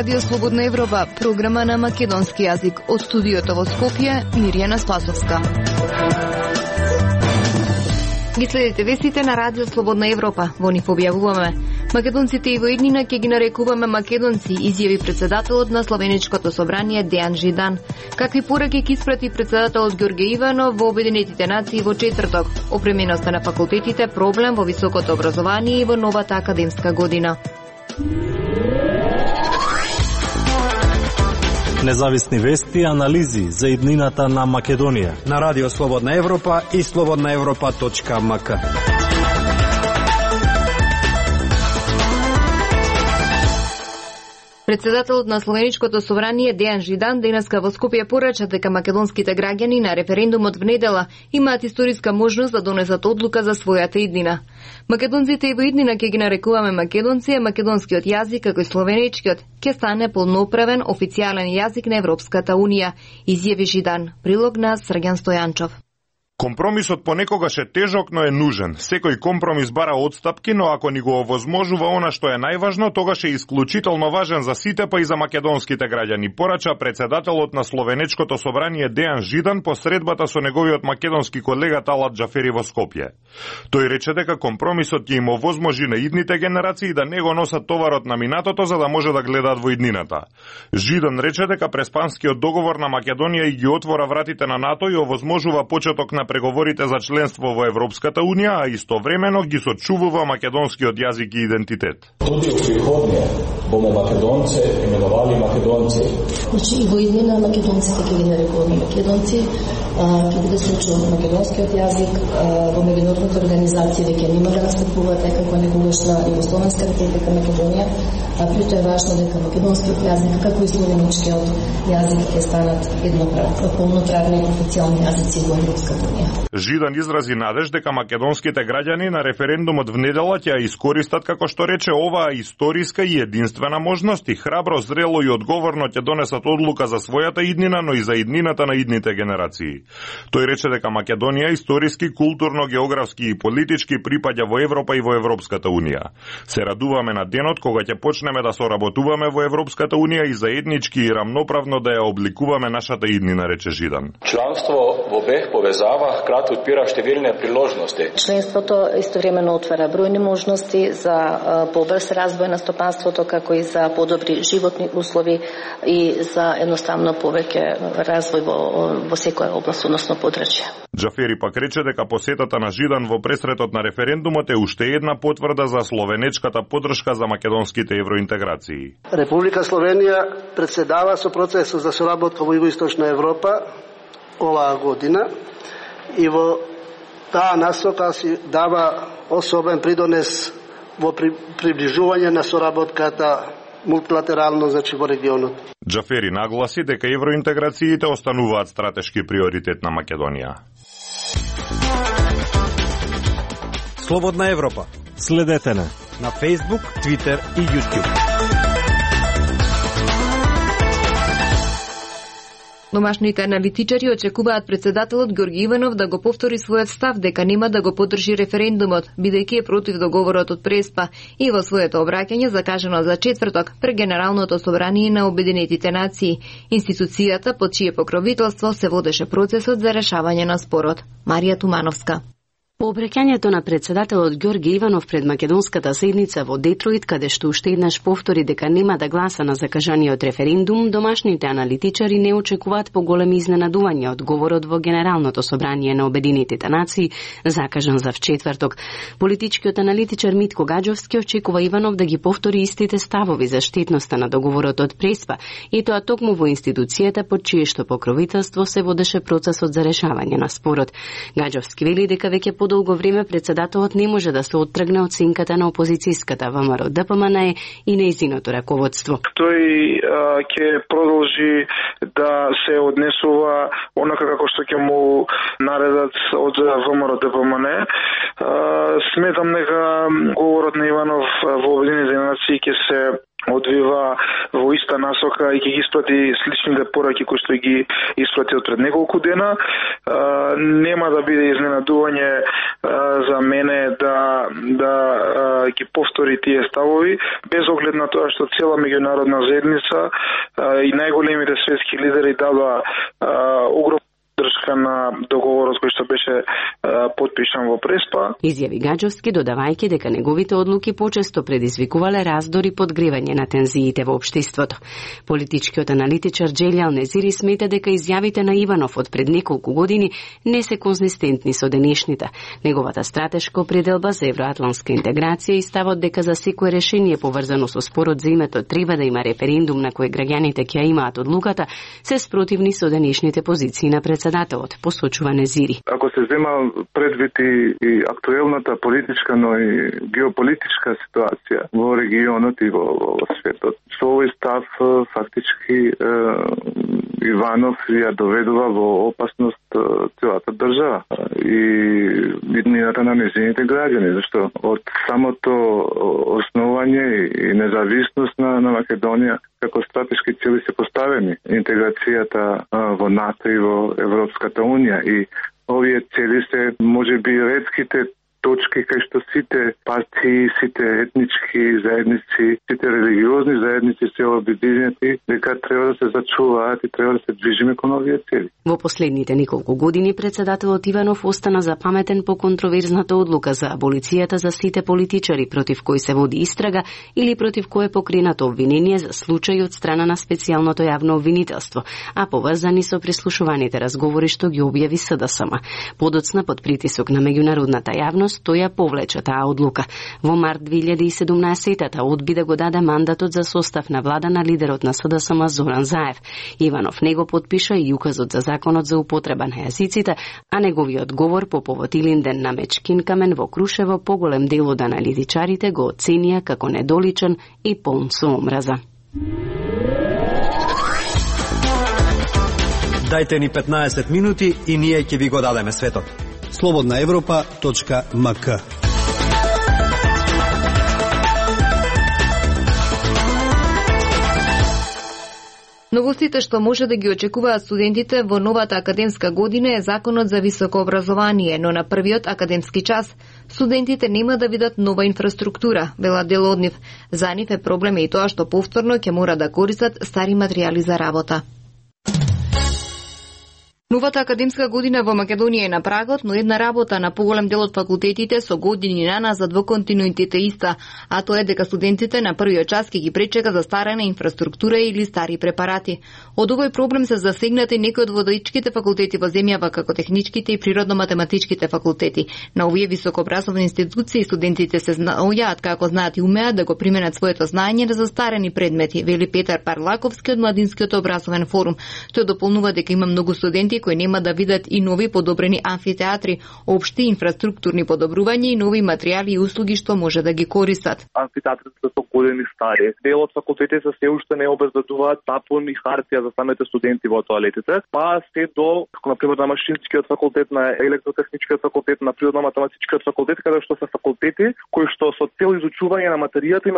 Радио Слободна Европа, програма на македонски јазик. Од студиото во Скопје, Мирјана Спасовска. Ги следите вестите на Радио Слободна Европа. Во нив објавуваме: македонците и во иднина ќе ги нарекуваме македонци, изјави председателот на Словеничкото собрание Дејан Жидан. Какви пораки ќе испрати председателот Ѓорѓе Иванов во Обединетите нации во четврток? Опременоста на факултетите проблем во високото образование и во новата академска година. Независни вести и анализи за иднината на Македонија на Радио Слободна Европа и slobodnaevropa.mk. Председателот на Словеничкото собрание Дејан Жидан денеска во Скопје порача дека македонските граѓани на референдумот в недела имаат историска можност да донесат одлука за својата иднина. Македонците и во иднина ќе ги нарекуваме македонци, а македонскиот јазик, како и словеничкиот, ќе стане полноправен официјален јазик на Европската унија, изјави Жидан. Прилог на Срѓан Стојанчов. Компромисот понекогаш е тежок, но е нужен. Секој компромис бара отстапки, но ако ни го овозможува она што е најважно, тогаш е исклучително важен за сите, па и за македонските граѓани, порача председателот на Словеничкото собрание Дејан Жидан по средбата со неговиот македонски колега Талат Џафери во Скопје. Тој рече дека компромисот ќе им овозможи на идните генерации да не го носат товарот на минатото за да може да гледаат во иднината. Жидан рече дека преспанскиот договор на Македонија и ги отвора вратите на НАТО и овозможува почеток на преговорите за членство во Европската унија, а истовремено ги сочувува македонскиот јазик и идентитет. Туди у приходње боме македонце именували македонци. Значи и во иднина македонците ќе ги нарекуваме македонци, ќе биде сочуван македонскиот јазик во меѓународните организации веќе нема да настапуваат како некогаш на Југословенска република Македонија, а прито е важно дека македонскиот јазик како и словеничкиот јазик ќе станат полноправни официјални јазици во Европската унија. Жидан изрази надеж дека македонските граѓани на референдумот в недела ќе ја искористат, како што рече, оваа историска и единствена можност и храбро, зрело и одговорно ќе донесат одлука за својата иднина, но и за иднината на идните генерации. Тој рече дека Македонија историски, културно, географски и политички припаѓа во Европа и во Европската унија. Се радуваме на денот кога ќе почнеме да соработуваме во Европската унија и заеднички и рамноправно да ја обликуваме нашата иднина, рече Жидан. Членство во БЕХ повезава, крат отпира штевилни приложности. Членството истовремено отвара бројни можности за побрз развој на стопанството, како и за подобри животни услови и за едноставно повеќе развој во секоја област, односно подрачје. Џафери пак рече дека посетата на Жидан во пресретот на референдумот е уште една потврда за словенечката поддршка за македонските евроинтеграции. Република Словенија председава со процесот за соработка во Југоисточна Европа оваа година и во таа насока си дава особен придонес во приближување на соработката мултилатерално, значи во регионот. Џафери нагласи дека евроинтеграциите остануваат стратешки приоритет на Македонија. Слободна Европа. Следете на Facebook, Twitter и YouTube. Домашните аналитичари очекуваат председателот Ѓорѓе Иванов да го повтори својот став дека нема да го поддржи референдумот, бидејќи е против договорот од Преспа и во своето обраќање закажано за четврток пред Генералното собрание на Обединетите нации, институцијата под чие покровителство се водеше процесот за решавање на спорот. Марија Тумановска. По обраќањето на председателот Ѓорѓе Иванов пред македонската седница во Детройт, каде што уште еднаш повтори дека нема да гласа на закажаниот референдум, домашните аналитичари не очекуваат поголеми изненадувања од говорот во Генералното собрание на Обединетите нации, закажан за вчетврток. Политичкиот аналитичар Митко Гаџовски очекува Иванов да ги повтори истите ставови за штетноста на договорот од Преспа, и тоа токму во институцијата под чиешто покровителство се водеше процесот за решавање на спорот. Гаџовски вели дека веќе долго време председателот не може да се оттргне од сенката на опозицијската ВМРО-ДПМН и нејзиното раководство. Тој ќе продолжи да се однесува онака како што ќе му наредат од ВМРО-ДПМН. Сметам дека говорот на Иванов во Обединетите нации ќе се одвива во иста насока и ќе ги испрати сличните пораки кои што ги испрати од пред неколку дена. Нема да биде изненадување за мене да ги повтори тие ставови, без оглед на тоа што цела меѓународна заедница и најголемите светски лидери дадоа огромна држка на договорот кој што беше потпишан во Преспа. Изјави Гаџовски, додавајќи дека неговите одлуки почесто предизвикувале раздори и подгревање на тензиите во општеството. Политичкиот аналитичар Джелјал Незири смета дека изјавите на Иванов од пред неколку години не се конзистентни со денешните. Неговата стратешка определба за евроатлантска интеграција и ставот дека за секое решение поврзано со спорот за името треба да има референдум на кој граѓаните ќе имаат одлуката, се спротивни со денешните позиции на председателот, посочува Незири. Ако се зема предвид и актуелната политичка, но и геополитичка ситуација во регионот и во светот, со овој став фактички Иванов ја доведува во опасност целата држава и иднината на нејзините граѓани, зашто од самото основање и независност на Македонија како стратешки цели се поставени интеграцијата во НАТО и во Европската Унија и овие цели се можеби ретките точки кај што сите партии, сите етнички заедници, сите религиозни заедници се обединети дека треба да се зачуваат и треба да се движиме кон овие цели. Во последните неколку години председателот Иванов остана запаметен по контроверзната одлука за аболицијата за сите политичари против кои се води истрага или против кој е покренато обвинение за случаи од страна на специјалното јавно обвинителство, а поврзани со прислушуваните разговори што ги објави СДСМ. Подоцна под притисок на меѓународната јавност тој ја повлече таа одлука. Во март 2017-та одби да го даде мандатот за состав на влада на лидерот на СДСМ Зоран Заев. Иванов не го потпиша и указот за законот за употреба на јазиците, а неговиот говор по повод Илинден на Мечкин камен во Крушево поголем дел од аналитичарите го оценија како недоличен и полн со омраза. Дајте ни 15 минути и ние ќе ви го дадеме светот. slobodnaevropa.mk. Новостите што може да ги очекуваат студентите во новата академска година е Законот за високо образование, но на првиот академски час студентите нема да видат нова инфраструктура, велат дел од нив. За нив е проблем и тоа што повторно ќе мора да користат стари материјали за работа. Новата академска година во Македонија е на прагот, но една работа на поголем дел од факултетите со години наназад во континуитет е иста, а тоа е дека студентите на првиот час ќе ги пречека застарена инфраструктура или стари препарати. Од овој проблем се засегнати некои од водичките факултети во земјава, како техничките и природно-математичките факултети. На овие високообразовни институции студентите се наоѓаат како знаат и умеат да го применат своето знаење на застарени предмети, вели Петар Парлаковски од Младинскиот образовен форум. Тој дополнува дека има многу студенти кои нема да видат и нови подобрени амфитеатри, општи инфраструктурни подобрувања и нови материјали и услуги што може да ги користат. Амфитеатрите се години стари. Дел од факултетите се уште не обезбедуваат сапун и хартија за самите студенти во тоалетите, па се до, например, на Машинскиот факултет, на Електротехничкиот факултет, на Природно-математичкиот факултет, каде што се факултети кои што со цел изучување на материјата им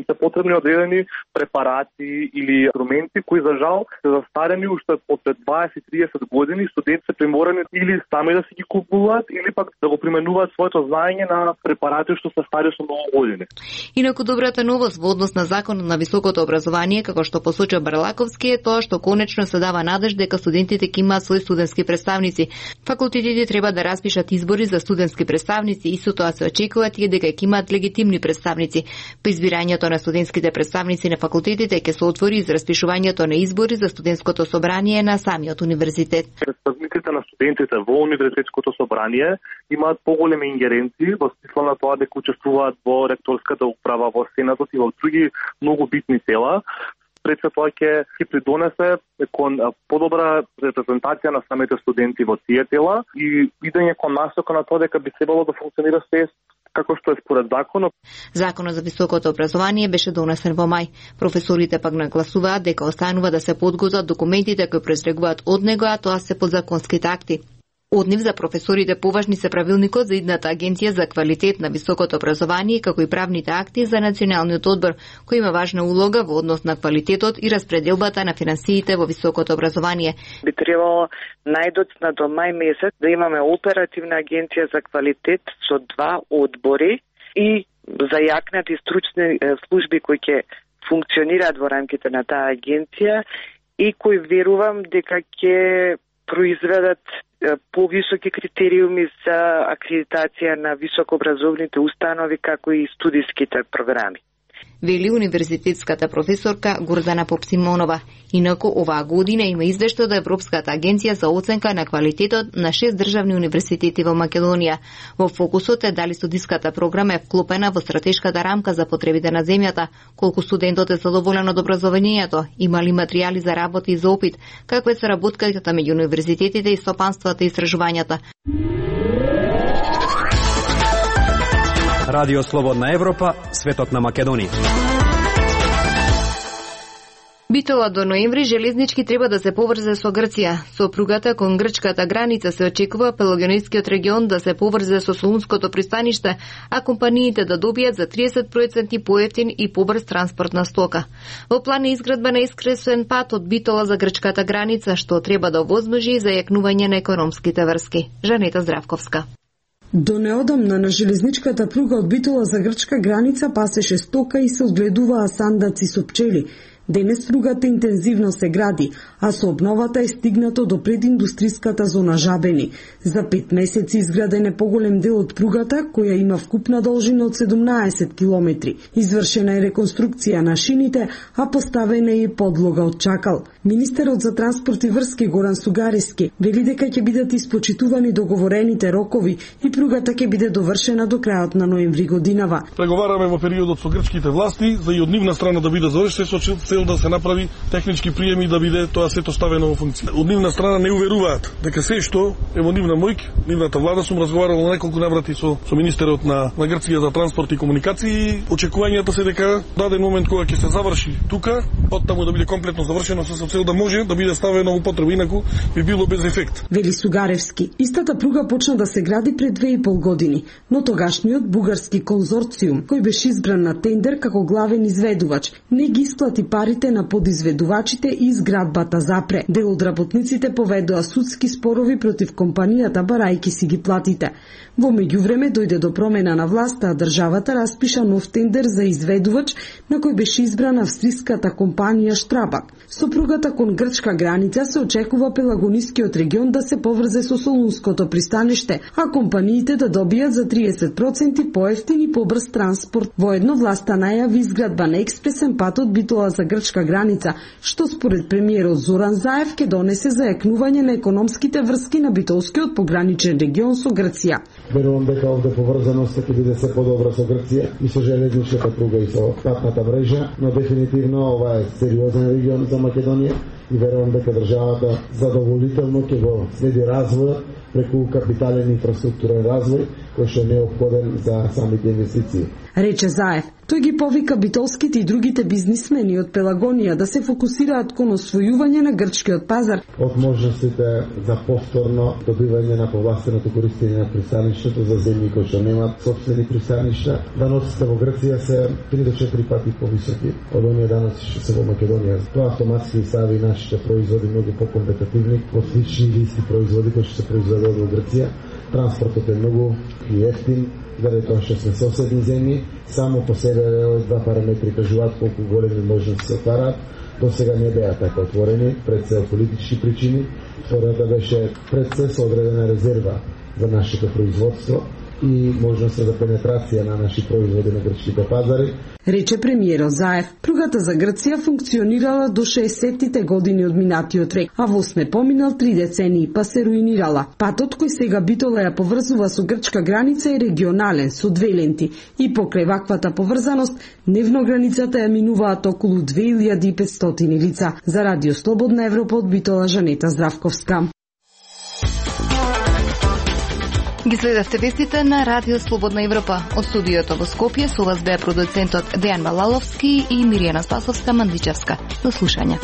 се потребни одредени препарати или инструменти кои за жал се застарени уште од 20-30 години. Студенти се приморани или сами да си ги купуваат или пак да го применуваат своето знаење на препарати што се стари со многу години. Инаку добрата новост во однос на Законот на високото образование, како што посочува Барлаковски, е тоа што конечно се дава надеж дека студентите ќе имаат свои студентски представници. Факултетите треба да распишат избори за студентски представници и со тоа се очекува тие дека ќе имаат легитимни представници. По избирањето на студентските представници на факултетите ќе се отвори за распишувањето на избори за студентското собрание на самиот универзитет. Представниците на студентите во универзитетското собрание имаат поголеми ингеренции во смисла на тоа дека учествуваат во ректорската управа, во сенатот и во други многу битни тела. Пред се тоа ќе придонесе кон подобра репрезентација на самите студенти во тие тела и идење кон насока на тоа дека би требало да функционира се како што е според законот. Законот за високото образование беше донесен во мај. Професорите пак нагласуваат дека останува да се подготват документите кои произлегуваат од него, а тоа се подзаконските акти. Од нив за професорите поважни се правилникот за идната агенција за квалитет на високото образование, како и правните акти за националниот одбор, кој има важна улога во однос на квалитетот и распределбата на финансиите во високото образование. Би требало најдоцна до мај месец да имаме оперативна агенција за квалитет со 2 одбори и зајакнати стручни служби кои ќе функционираат во рамките на таа агенција и кои верувам дека ќе произведат повисоки критериуми за акредитација на високообразовните установи, како и студиските програми. Вели универзитетската професорка Гордана Попсимонова. Инаку оваа година има извештај од Европската агенција за оценка на квалитетот на 6 државни универзитети во Македонија. Во фокусот е дали студиската програма е вклопена во стратешката рамка за потребите на земјата, колку студентот е задоволен од образованието, има ли материјали за работа и за опит, каква е соработката меѓу универзитетите и стопанствата и истражувањата. Радио Слободна Европа, светот на Македонија. Битола до ноември железнички треба да се поврзе со Грција. Со пругата кон грчката граница се очекува Пелагонискиот регион да се поврзе со Солунското пристаниште, а компаниите да добијат за 30% поевтин и побрз транспорт на стока. Во план е изградба на искресен пат од Битола за грчката граница, што треба да овозможи зајакнување на економските врски. Жанета Здравковска. До неодамна на железничката пруга од Битола за грчка граница пасеше стока и се одгледуваа сандаци со пчели. Денес пругата интензивно се гради, а со обновата е стигнато до прединдустриската зона Жабени. За 5 месеци изграден е поголем дел од пругата, која има вкупна должина од 17 километри. Извршена е реконструкција на шините, а поставена е и подлога од чакал. Министерот за транспорт и врски Горан Сугарески вели дека ќе бидат испочитувани договорените рокови и пругата ќе биде довршена до крајот на ноември годинава. Преговараме во периодот со грчките власти за и од нивна страна да биде завршен со цел да се направи технички приеми да биде тоа сето ставено во функција. Од нивна страна не уверуваат дека се што е во нивна моќ, нивната влада, сум разговарал на неколку наврати со министерот на Грција за транспорт и комуникации. Очекувањата се дека даден момент кога ќе се заврши тука, оттаму да биде комплетно завршено со цел да може да биде ставено во употреба, инаку би било без ефект. Вели Сугаревски. Истата пруга почна да се гради пред 2,5 години, но тогашниот бугарски конзорциум, кој беше избран на тендер како главен изведувач, не ги исплати парите на подизведувачите и изградбата запре. Дел од работниците поведоа судски спорови против компанијата барајки си ги платите. Во меѓувреме дојде до промена на власта, а државата распиша нов тендер за изведувач на кој беше избрана австриската компанија Штрабак. Со пругата кон грчка граница се очекува Пелагонискиот регион да се поврзе со Солунското пристаниште, а компаниите да добијат за 30% поевтин и побрз транспорт. Воедно власта најави изградба на експресен пат од Битола за грчка граница, што според премиерот Зоран Заев ќе донесе зајакнување на економските врски на битолскиот пограничен регион со Грција. Верувам дека овде поврзаноста ќе биде се подобра со Грција и со железничката пруга и со патната мрежа, но дефинитивно ова е сериозен регион за Македонија и верувам дека државата задоволително ќе го следи развојот преку капитален инфраструктурен развој кој што е неопходен за самите инвестиции. Рече Заев. Тој ги повика битолските и другите бизнисмени од Пелагонија да се фокусираат кон освојување на грчкиот пазар. Од можностите за повторно добивање на повластеното користење на пристаништето за земји кои што немаат сопствени пристаништа, даноците во Грција се 3 до 4 пати повисоки од оние даноци што се во Македонија. Тоа автоматски стави нашите производи многу покомпетативни во слични или исти производи кои што се произведуваат во Грција. Транспортот е многу ефтин, заради тоа што сме соседни земји, само по себе овие два параметри кажуваат колку големи можности се отвараат. До сега не беа така отворени, пред се политички причини. Втората беше пред се со одредена резерва за нашето производство и можност за пенетрација на наши производи на грчките пазари. Рече премиерот Заев. Пругата за Грција функционирала до 60-тите години од минатиот век, а во сме поминал 3 децении, па се руинирала. Патот кој сега Битола ја поврзува со грчка граница е регионален, со 2 ленти, и покрај ваквата поврзаност, дневно границата ја минуваат околу 2500 лица. За Радио Слободна Европа од Битола, Жанета Здравковска. Ги следевте вестите на Радио Слободна Европа. Од студиото во Скопје со вас беа продуцентот Дејан Балаловски и Миријана Спасовска-Мандичевска. До слушање.